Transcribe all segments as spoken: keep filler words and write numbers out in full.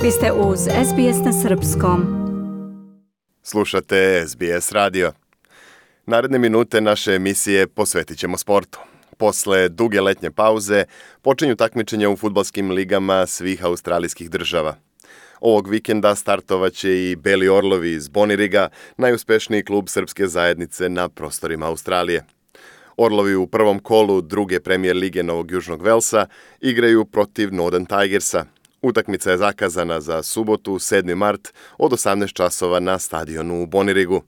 Vi ste uz S B S na srpskom. Slušate S B S radio. Naredne minute naše emisije posvetit ćemo sportu. Posle duge letnje pauze počinju takmičenja u fudbalskim ligama svih australijskih država. Ovog vikenda startovaće i Beli Orlovi iz Boniriga, najuspešniji klub srpske zajednice na prostorima Australije. Orlovi u prvom kolu druge premijer lige Novog Južnog Velsa igraju protiv Northern Tigersa. Utakmica je zakazana za subotu, sedmi mart, od osamnaest časova na stadionu u Bonirigu.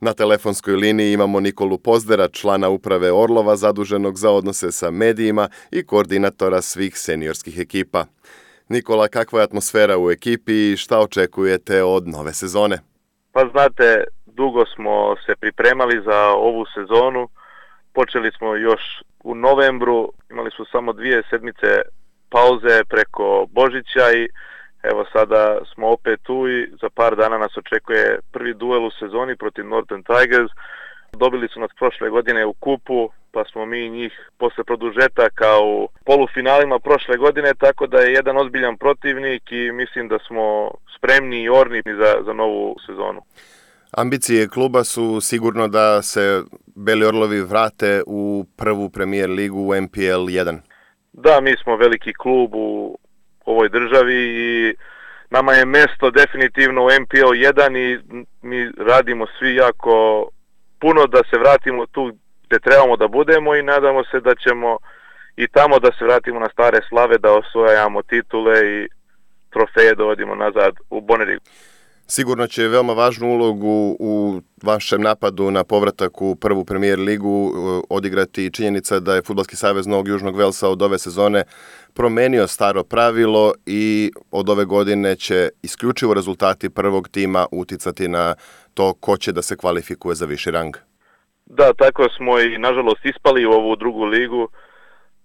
Na telefonskoj liniji imamo Nikolu Pozdera, člana uprave Orlova zaduženog za odnose sa medijima i koordinatora svih seniorskih ekipa. Nikola, kakva je atmosfera u ekipi i šta očekujete od nove sezone? Pa znate, dugo smo se pripremali za ovu sezonu. Počeli smo još u novembru, imali smo samo dvije sedmice pauze preko Božića i evo sada smo opet tu i za par dana nas očekuje prvi duel u sezoni protiv Northern Tigers. Dobili su nas prošle godine u kupu, pa smo mi njih posle produžetaka u polufinalima prošle godine, tako da je jedan ozbiljan protivnik i mislim da smo spremni i orni za, za novu sezonu. Ambicije kluba su sigurno da se Beli Orlovi vrate u prvu premijer ligu u N P L jedan. Da, mi smo veliki klub u ovoj državi i nama je mesto definitivno u N P L jedan i mi radimo svi jako puno da se vratimo tu gdje trebamo da budemo i nadamo se da ćemo i tamo da se vratimo na stare slave, da osvojamo titule i trofeje dovodimo nazad u Bonirigu. Sigurno će veoma važnu ulogu u vašem napadu na povratak u prvu premijer ligu odigrati činjenica da je Fudbalski savez Novog Južnog Velsa od ove sezone promenio staro pravilo i od ove godine će isključivo rezultati prvog tima uticati na to ko će da se kvalifikuje za viši rang. Da, tako smo i nažalost ispali u ovu drugu ligu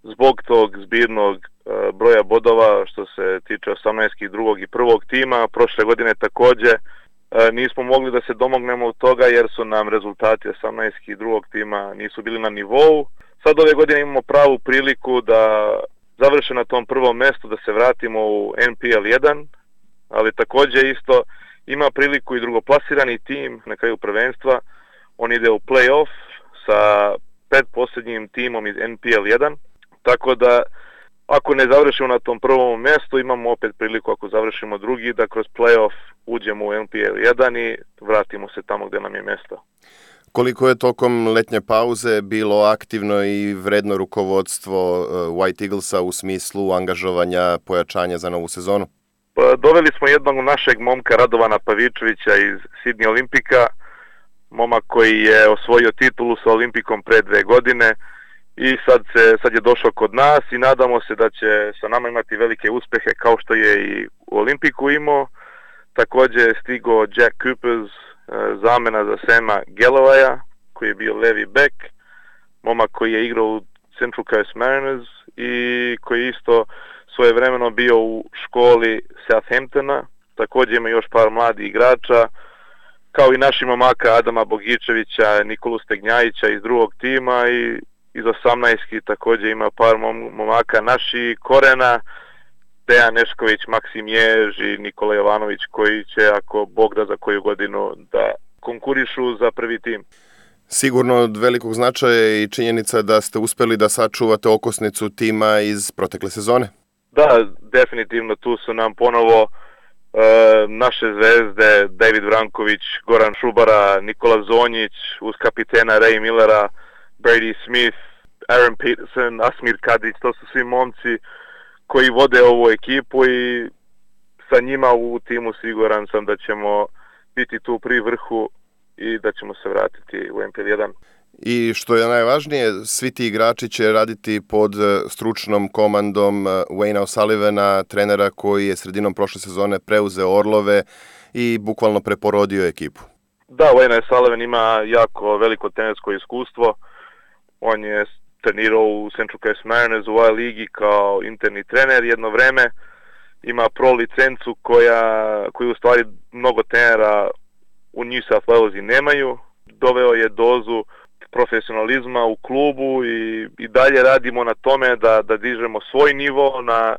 zbog tog zbirnog uh, broja bodova što se tiče osamnaestki drugog i prvog tima. Prošle godine također uh, nismo mogli da se domognemo od toga jer su nam rezultati osamnaestki drugog tima nisu bili na nivou. Sad ove godine imamo pravu priliku da završe na tom prvom mjestu, da se vratimo u N P L jedan, ali također isto ima priliku i drugoplasirani tim na kraju prvenstva. On ide u play-off sa pretposljednjim timom iz N P L jedan. Tako da, ako ne završimo na tom prvom mjestu, imamo opet priliku, ako završimo drugi, da kroz play-off uđemo u N P L jedan i vratimo se tamo gdje nam je mjesto. Koliko je tokom letnje pauze bilo aktivno i vredno rukovodstvo White Eaglesa u smislu angažovanja, pojačanja za novu sezonu? Pa, doveli smo jednog našeg momka, Radovana Pavičevića iz Sydney Olimpika, momak koji je osvojio titulu sa Olimpikom pre dve godine. I sad, se, sad je došao kod nas i nadamo se da će sa nama imati velike uspjehe kao što je i u Olimpiku imao. Također je stigao Jack Coopers, zamena za Sama Gallowaya, koji je bio levi back, momak koji je igrao u Central Coast Mariners i koji je isto svojevremeno bio u školi Southamptona. Također ima još par mladih igrača, kao i naši momaka Adama Bogičevića, Nikolu Stegnjajića iz drugog tima i iz osamnaestki također ima par momaka naših korena, Dejan Nešković, Maksim Jež i Nikola Jovanović koji će, ako Bog da, za koju godinu da konkurišu za prvi tim. Sigurno od velikog značaja je i činjenica da ste uspjeli da sačuvate okosnicu tima iz protekle sezone. Da, definitivno tu su nam ponovo e, naše zvezde, David Vranković, Goran Šubara, Nikola Zonjić, uz kapitena Ray Millera, Brady Smith, Aaron Peterson, Asmir Kadić, to su svi momci koji vode ovu ekipu i sa njima u timu siguran sam da ćemo biti tu pri vrhu i da ćemo se vratiti u N P L jedan. I što je najvažnije, svi ti igrači će raditi pod stručnom komandom Wayna O'Sullivana, trenera koji je sredinom prošle sezone preuzeo Orlove i bukvalno preporodio ekipu. Da, Wayne O'Sullivan ima jako veliko trenersko iskustvo. On je trenirao u Central Coast Mariners u A ligi kao interni trener jedno vreme. Ima pro licencu koja, koju u stvari mnogo trenera u New South Wales nemaju. Doveo je dozu profesionalizma u klubu i, i dalje radimo na tome da, da dižemo svoj nivo na,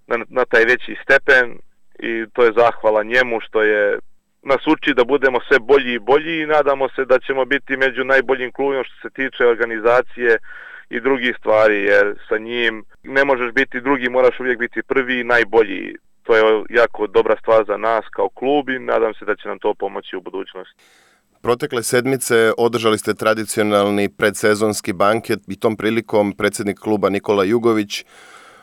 na, na taj veći stepen i to je zahvala njemu što je nas uči da budemo sve bolji i bolji i nadamo se da ćemo biti među najboljim klubima što se tiče organizacije i drugih stvari, jer sa njim ne možeš biti drugi, moraš uvijek biti prvi i najbolji. To je jako dobra stvar za nas kao klub i nadam se da će nam to pomoći u budućnosti. Protekle sedmice održali ste tradicionalni predsezonski banket i tom prilikom predsjednik kluba Nikola Jugović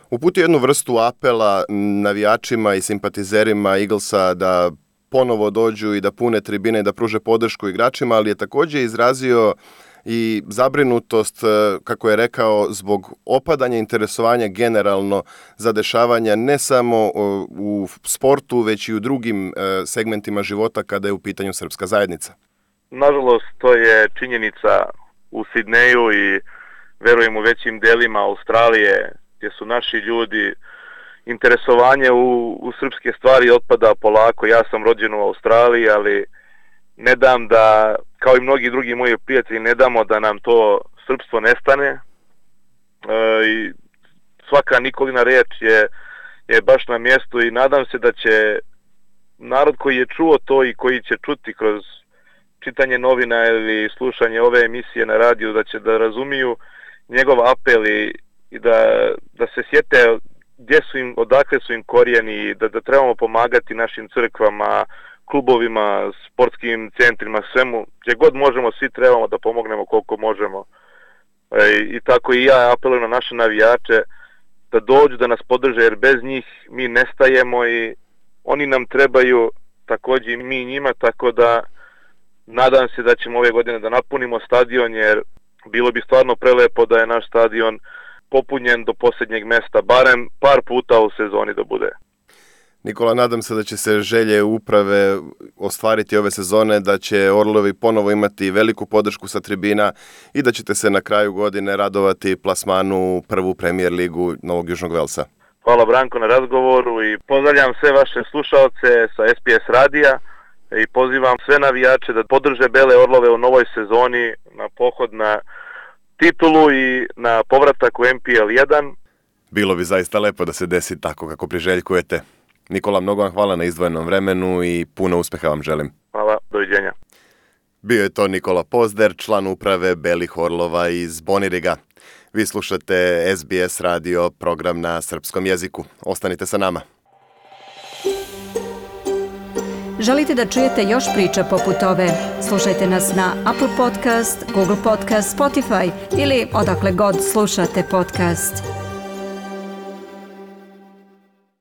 uputio jednu vrstu apela navijačima i simpatizerima Eaglesa da ponovo dođu i da pune tribine i da pruže podršku igračima, ali je također izrazio i zabrinutost, kako je rekao, zbog opadanja interesovanja generalno za dešavanja ne samo u sportu, već i u drugim segmentima života kada je u pitanju srpska zajednica. Nažalost, to je činjenica u Sidneju i verujem u većim delima Australije gdje su naši ljudi, interesovanje u, u srpske stvari otpada polako. Ja sam rođen u Australiji, ali ne dam da, kao i mnogi drugi moji prijatelji, ne damo da nam to srpstvo nestane. E, i svaka Nikolina riječ je, je baš na mjestu i nadam se da će narod koji je čuo to i koji će čuti kroz čitanje novina ili slušanje ove emisije na radiju, da će da razumiju njegov apel i, i da, da se sjete gdje su im, odakle su im korijeni i da, da trebamo pomagati našim crkvama, klubovima, sportskim centrima, svemu, gdje god možemo, svi trebamo da pomognemo koliko možemo. E, I tako i ja apelujem na naše navijače da dođu, da nas podrže, jer bez njih mi nestajemo i oni nam trebaju, također i mi njima, tako da nadam se da ćemo ove godine da napunimo stadion, jer bilo bi stvarno prelepo da je naš stadion popunjen do posljednjeg mjesta, barem par puta u sezoni da bude. Nikola, nadam se da će se želje uprave ostvariti ove sezone, da će Orlovi ponovo imati veliku podršku sa tribina i da ćete se na kraju godine radovati plasmanu u prvu Premier ligu Novog Južnog Velsa. Hvala Branko na razgovoru i pozdravljam sve vaše slušalce sa S B S radija i pozivam sve navijače da podrže Bele Orlove u novoj sezoni na pohod na titulu i na povratak u N P L jedan. Bilo bi zaista lepo da se desi tako kako priželjkujete. Nikola, mnogo vam hvala na izdvojenom vremenu i puno uspjeha vam želim. Hvala, doviđenja. Bio je to Nikola Pozder, član uprave Belih Orlova iz Boniriga. Vi slušate S B S radio, program na srpskom jeziku. Ostanite sa nama. Želite da čujete još priča poput ove? Slušajte nas na Apple Podcast, Google Podcast, Spotify ili odakle god slušate podcast.